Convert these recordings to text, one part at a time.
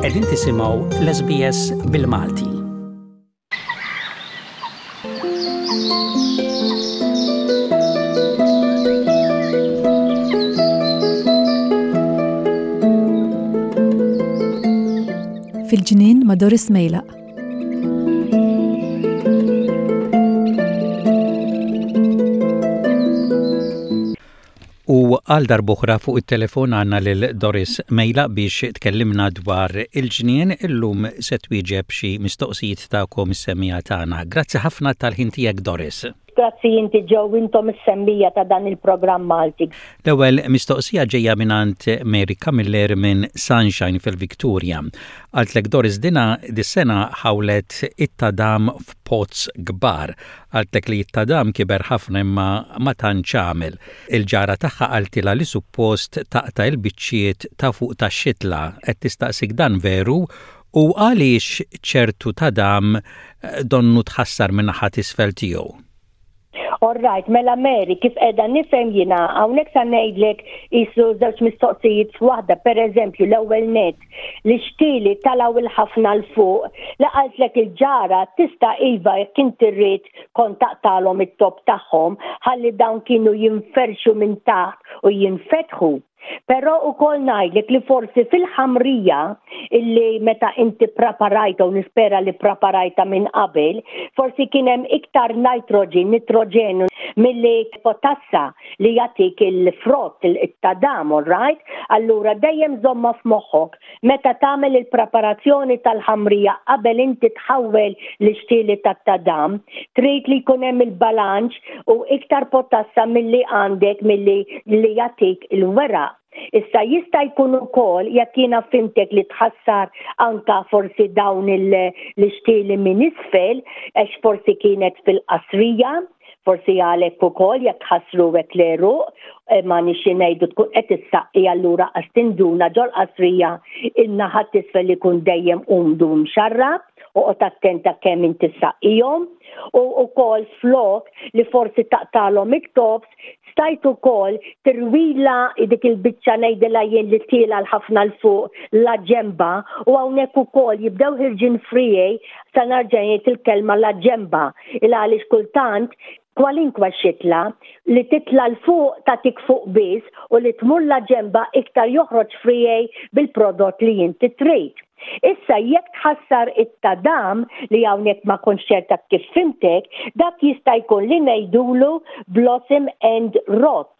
Qegħdin tisimgħu l-SBS bil-Malti. Fil-ġnien ma' Doris Mejlaq. U għal darb'oħra fuq it-telefon għandna lil Doris Mejlaq biex tkellimna dwar il-ġnien illum se twieġeb xi mistoqsijiet tagħkom is-semmiegħa tagħna. Grazzi ħafna tal-ħin tiegħek Doris. Grazzi inti Joe intom is-semmija ta' dan il-programm Malti. L-ewwel mistoqsija ġejja mingħand Mary Camilleri minn Sunshine fil-Victoria. Qaltlek Doris dina dis-sena ħawlet it-tadam f'pots kbar. Qaltlek li t-tadam kiber ħafna imma ma tantx għamel. Il-ġara tagħha qaltilha li suppost taqta' il-biċċiet ta' fuq tax-xitla. Qed tistaqsik dan veru u għaliex ċertu tadam donnu tħassar min-naħa t'isfel tiegħu. All right, mela Mary, kif qiegħda nifhem jiena hawnhekk sa ngħidlek qisu żewġ mistoqsijiet f'waħda, pereżempju l-ewwel nett li xtieli talgħu il-ħafna 'l fuq, li qaltlek il-ġara tista' iva jekk inti rrid kont taqtagħlhom it-top tagħhom ħalli dawn kienu jinferxu minn taħt u jinfetħu. Però ukoll ngħidlek li forsi fil-ħamrija illi meta inti ppraparajta u nispera li ppraparajta minn qabel, forsi kien hemm iktar nitrogen, nitroġenu milli potassa li jagħtik il-frott, it-tadam, all right? Allura dejjem żommha f'moħħok meta tagħmel il-preparazzjoni tal-ħamrija qabel inti tħawwel l-ixtieli tat-tadam, trid li jkun hemm il-balanċ u iktar potassa milli għandek milli li jagħtik il-weraq. Issa jista' jkun ukoll jekk jiena fhimtek li tħassar anka forsi dawn l-ixtieli minn isfel għax forsi kienet fil-qasrija, Forsi għalhekk ukoll jekk tħassruhek l-għeruq, eh, ma nixi ngħidu tkun qed issaqqi allura qas tinduna ġol-qasrija in-naħa t'isfel ikun dejjem umdu mxarrab, oqgħod attenta kemm inti ssaqqihom u wkoll flok li forsi taqtalhom it-tops stajt ukoll tirwila dik il-biċċa ngħidilha jien li tiela l-ħafna l fuq la ġemba u hawnhekk ukoll jibdew ħirġin friegħi sa narġa' ngħid il-kelma la ġemba il għaliex kultant kwalinkwa xitla li titla' 'l fuq tagħtik fuq biss u li tmur la ġemba iktar joħroġ friegħi bil-prodott li inti trid. Issa jekk tħassar it-tadam li hawnhekk ma kontx ċerta kif fhimtek, dak jista' jkun li ngħidulu blossom end rot.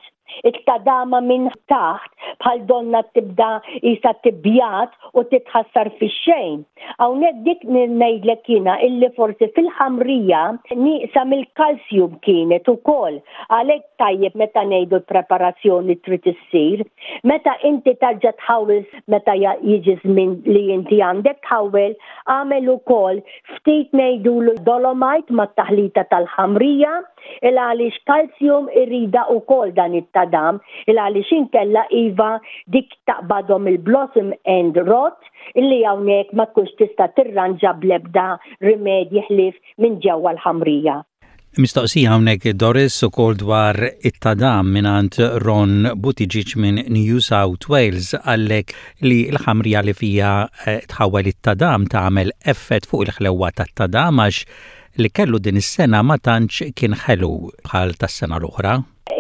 It-tadama minn taħt bħal donna tibda qisha tibjad u titħassar fix-xejn. Hawnhekk dik ngħidlek jiena illi forsi fil-ħamrija nieqsa mill-calcium kienet ukoll. Għalhekk tajjeb meta ngħidu l-preparazzjoni trid issir. Meta inti tarġa' tħawwel meta jiġi żmien li inti għandek tħawwel, agħmel ukoll ftit ngħidulu dolomite mat-taħlita tal-ħamrija Il għaliex calcium irida ukoll dan it-tadam, il għaliex inkella iva dik taqbadhom il-blossom end rot illi hawnhekk ma tkunx tista' tirranġa bl-ebda rimedji ħlief minn ġewwa l-ħamrija. Mistoqsija hawnhekk Doris ukoll dwar it-tadam mingħand Ron Buttigieg minn New South Wales qallek li l-ħamrija li fiha eh, tħawwel it-tadam tagħmel effett fuq il-ħlewwa tat-tadam għax li kellu din is-sena ma tantx kien ħelu bħal tas-sena l-oħra.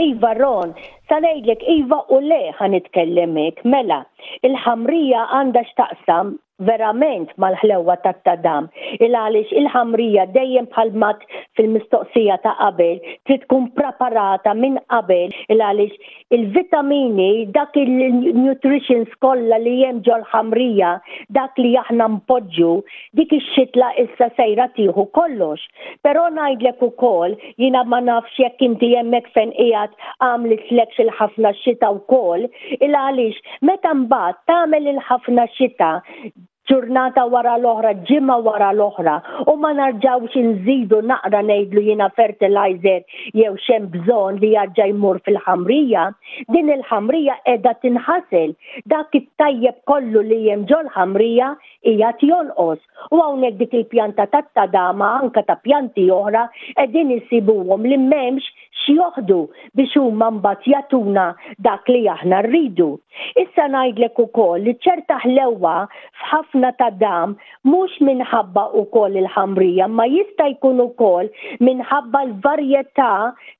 Iva Ron, sa ngħidlek iva u le ħa nitkellem hekk, mela, il-ħamrija għandha x'taqsam verament mal-ħlewwa tat-tadam, il għaliex il-ħamrija dejjem bħal m'għedt fil-mistoqsija ta' qabel trid tkun praparata minn qabel il għaliex Il-vitamini, dak il-nutritions kollha li hemm ġol-ħamrija, dak li aħna npoġġu, dik ix-xitla issa sejra tieħu kollox. Però ngħidlek ukoll, jiena ma nafx jekk inti hemmhekk fejn qiegħed għamlitlekx il-ħafna xita wkoll, il għaliex meta mbagħad tagħmel il-ħafna xita, ġurnata wara l-oħra, ġimgħa wara l-oħra u ma narġgħux inżidu naqra ngħidlu jiena fertilizer jew x'hemm bżonn li jarġa' jmur fil-ħamrija, din il-ħamrija qiegħda tinħasel. Dak it-tajjeb kollu li hemm ġol-ħamrija qiegħed jonqos. U hawnhekk dik il-pjanta tat-tadama anke ta' pjanti oħra qegħdin insibuhom li m'hemmx. x'joħdu biex huma mbagħad jagħtuna dak li aħna rridu. Issa ngħidlek ukoll li ċerta ħlewwa f'ħafna tadam mhux minħabba ukoll il-ħamrija imma jista' jkun ukoll minħabba l-varjetà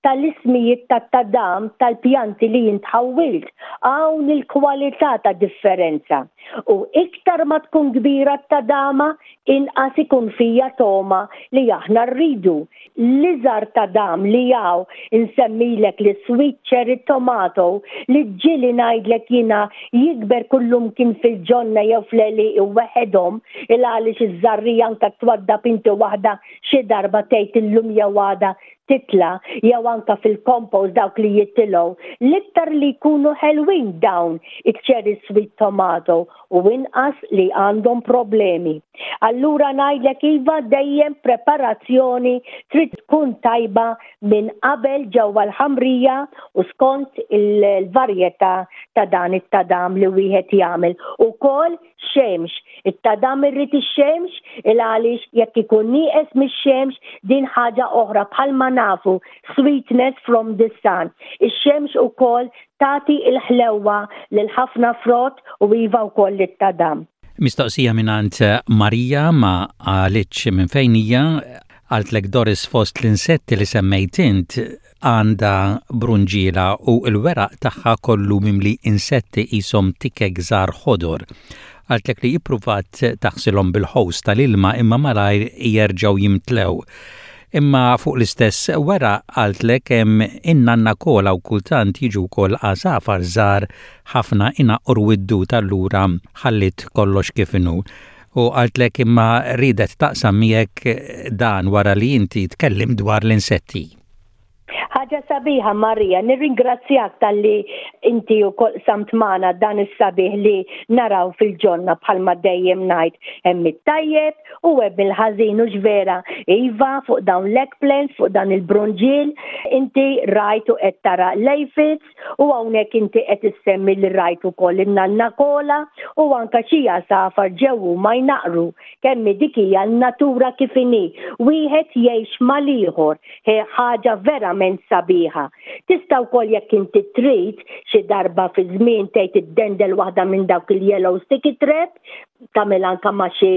tal-ismijiet tat-tadam tal-pjanti li int ħawwilt. Hawn il-kwalità ta' differenza. U iktar ma tkun kbira t-tadama, inqas ikun fija togħma li aħna rridu. L-iżgħar tadam li hawn insemmilek l-sweet cherry tomato li ġieli ngħidlek jiena jikber kullumkien fil-ġonna jew fl-għelieqi weħedhom il għaliex iż-żarrija anke twaddab inti waħda xi darba tgħid illum jew għada titla' jew anke fil-compost dawk li jitilgħu l-iktar li jkunu ħelwin dawn iċ-cherry sweet tomato u inqas li għandhom problemi. Allura ngħidlek iva dejjem preparazzjoni trid tkun tajba minn qabel ġewwa l-ħamrija u skont il-varjetà ta' dan it-tadam li wieħed jagħmel. Ukoll xemx. It-tadam irrid ix-xemx il għaliex jekk ikun nieqes mix-xemx din ħaġa oħra bħalma nafu sweetness from the sun. Ix-xemx ukoll tagħti l-ħlewwa lil ħafna frott u iva wkoll lit-tadam. Mistoqsija mingħand Marija ma qalitx minn fejn hija, qaltlek Doris fost l-insetti li semmejt int għandha brunġiela u l-weraq tagħha kollu mimli insetti qishom tikek żgħar ħodor. Qaltlek li ippruvat taħsilhom bil-ħows tal-ilma imma malajr jerġgħu jimtlew. Imma fuq l-istess weraq qaltlek hemm in-nanna kola u kultant jiġu wkoll għasafar żgħar ħafna inaqqru d-dud allura ħalliet kollox kif inhu. U qaltlek imma riedet taqsam miegħek dan wara li inti tkellimt dwar l-insetti. Ħaġa sabiħa Marija, nirringrazzjak talli inti wkoll qsamt magħna dan is-sabiħ li naraw fil-ġonna bħalma dejjem ngħid hemm it-tajjeb u hemm il-ħażin hux vera. Iva fuq dawn l-eggplants, fuq dan il-brunġiel, inti rajt u qed tara l-aphids u hawnhekk inti qed issemmi li rajt ukoll in-nanna kola u anke xi għasafar ġew huma jnaqqru. Kemm hi dik hija n-natura kif inhi, wieħed jgħix mal-ieħor. Hi ħaġa verament sabiħa. Tista' wkoll jekk inti trid xi darba fi żmien tgħid iddendel waħda minn dawk il-yellow sticky trap, tagħmel anke ma' xi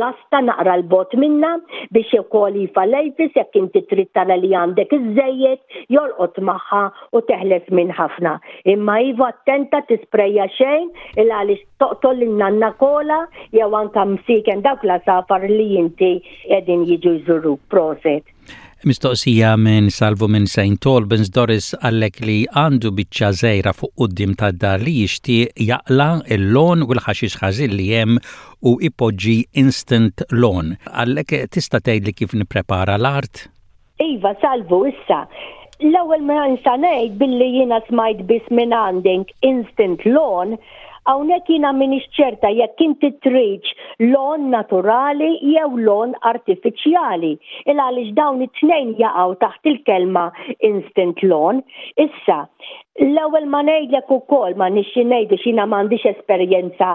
lasta naqra 'l bogħod minnha biex ukoll iva l-aphids jekk inti trid tara li għandek iżżejjed jolqot magħha u teħles minn ħafna. Imma iva attenta tisprejja xejn il għaliex toqtol lin-nanna kola jew anke msieken dawk l-għasafar li inti qegħdin jiġu jżuruk. Proset. Mistoqsija minn Salvu minn St. Albans Doris qallek li għandu biċċa żgħira fuq quddiem tad-dar li jixtieq jaqla' l-lawn u l-ħaxix ħażin li hemm u jpoġġi instant lawn. Qallek tista' tgħidli kif nipprepara l-art? Iva, Salvu, issa, l-ewwel ma nista' ngħid billi jiena smajt biss minn għandek instant lawn, hawnhekk jiena m'iniex ċerta jekk inti tridx lawn naturali jew lawn artifiċjali, il għaliex dawn it-tnejn jaqgħu taħt il-kelma instant lawn. Issa, L-ewwel ma ngħidlek ukoll ma nixxi ngħid għax jiena m'għandix esperjenza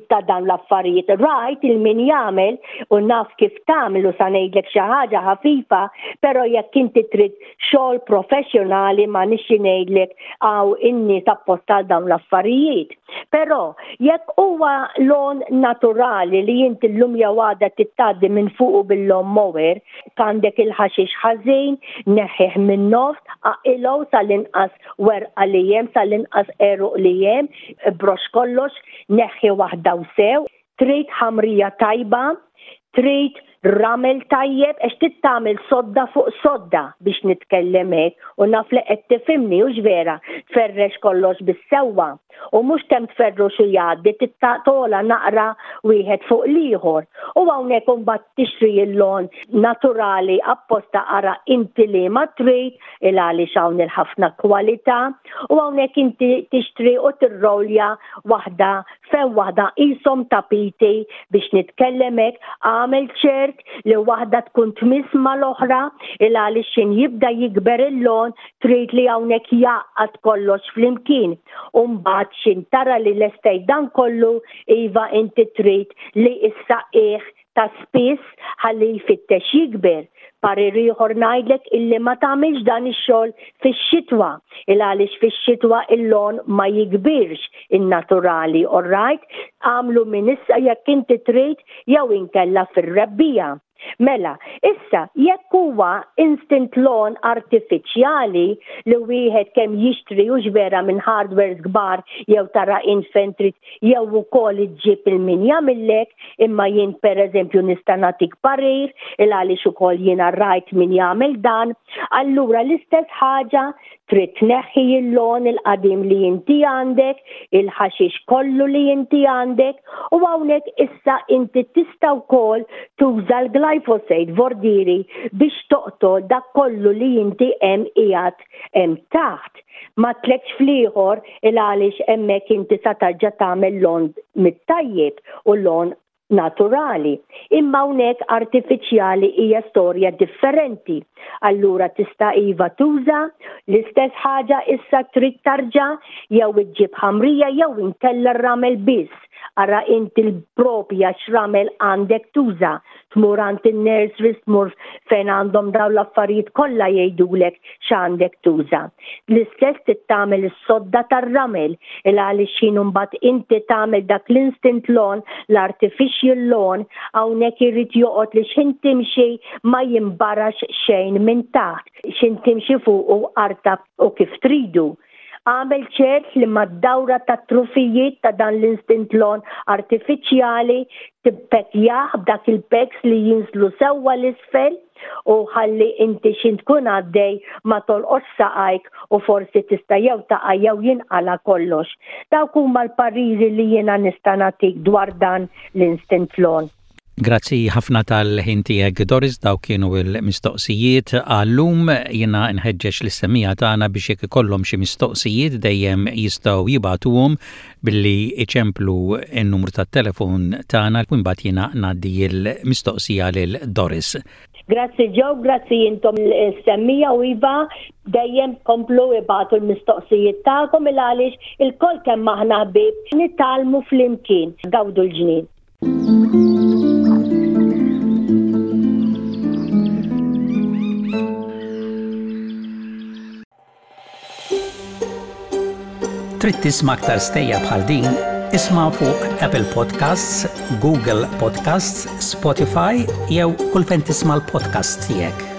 ta' dawn l-affarijiet. Rajt il min jagħmel u naf kif tagħmel u sa ngħidlek xi ħaġa ħafifa, però jekk inti trid xogħol professjonali ma nixxi ngħidlek hawn in-nies apposta għal dawn l-affarijiet. Però jekk huwa lawn naturali li inti llum jew għada trid tgħaddi minn fuqu bil-lawn mower, Għandek il-ħaxix ħażin, neħħih min-nofs, aqilgħu sal-inqas werqa li hemm, sal-inqas għeruq li hemm, ibrox kollox, neħħi waħda u sew. Trid ħamrija tajba, trid ramel tajjeb għax trid tagħmel sodda fuq sodda biex nitkellem hekk u naf li qed tifhimni hux vera, tferrex kollox bis-sewwa. U mhux kemm tferrux u jgħaddi trid togħla naqra wieħed fuq l-ieħor. U hawnhekk imbagħad tixtri l-lon naturali apposta ara inti liema trid il għaliex hawn il-ħafna kwalità u hawnhekk inti tixtri u tirrolja waħda fejn waħda qishom tapiti biex nitkellem hekk agħmel ċert li waħda tkun tmiss mal-oħra il għaliex x'in jibda jikber il-lon trid li hawnhekk jgħaqqad kollox flimkien. U mbagħad x'in tara li lestejt dan kollu, iva inti trid li issaqih ta' spiss ħalli jfittex jikber. Parir ieħor ngħidlek illi ma tagħmilx dan ix-xogħol fix-xitwa, il għaliex fix-xitwa il-lawn ma jikbirx in-naturali, alright? Agħmlu minn issa jekk inti trid jew inkella fir-rebbiegħa. Mela, issa jekk huwa instant lawn artifiċjali li wieħed kemm jixtri hux vera minn hardwares kbar jew tara int fejn trid jew ukoll iġġib il min jagħmillek, imma jien pereżempju nista' nagħtik parir il għaliex ukoll jiena rajt min jagħmel dan, allura l-istess ħaġa trid tneħħi il-lawn il-qadim li inti għandek, il-ħaxix kollu li inti għandek u hawnhekk issa inti tista' wkoll tuża l-glyphosate vordieri biex toqtol dak kollu li inti hemm qiegħed hemm taħt. Ma tlekx fl-ieħor il għaliex hemmhekk inti sa tarġa' tagħmel lawn mit-tajjeb u lawn naturali. Imma hawnhekk artifiċjali hija storja differenti. Allura tista' iva tuża l-istess ħaġa issa trid tarġa' jew iġġib ħamrija jew inkella r-ramel biss. Ara inti l-propja x'ramel għandek tuża. Tmur għand in-nurseries, tmur fejn għandhom dawn l-affarijiet kollha jgħidulek x'għandek tuża. L-istess trid tagħmel is-sodda tar-ramel il għaliex x'ħin imbagħad inti tagħmel dak l-instant lawn, l-artificial lawn, hawnhekk irid joqgħod li x'ħin timxi ma jinbarax xejn minn taħt, x'ħin timxi fuqu artab u kif tridu. Agħmel ċert li mad-dawra tat-trufijiet ta' dan l-instant lawn artifiċjali tippekkjah b'dak il-peks li jinżlu sewwa 'l isfel u ħalli inti x'int tkun għaddej ma tolqotx saqajk u forsi tista' jew taqa' jew jinqala' kollox. Dawk huma l-pariri li jiena nista' nagħtik dwar dan l-instant lawn. Grazzi ħafna tal-ħin tiegħek Doris, dawk kienu l-mistoqsijiet għal-lum. Jiena nħeġġeġ lis-semmiegħa tagħna biex jekk ikollhom xi mistoqsijiet dejjem jistgħu jibagħtuhom billi iċemplu n-numru tat-telefon tagħna u mbagħad jiena ngħaddi l-mistoqsija lil Doris. Grazzi Joe, grazzi intom is-semmiegħa u iva dejjem komplu ibagħtu l-mistoqsijiet tagħkom il għaliex ilkoll kemm aħna ħbieb nitgħallmu flimkien. Gawdu l-ġnien. Trid tisma' aktar stejjer bħal din? Isma' fuq Apple Podcasts, Google Podcasts, Spotify jew kull fejn tisma' l-podcasts tiegħek.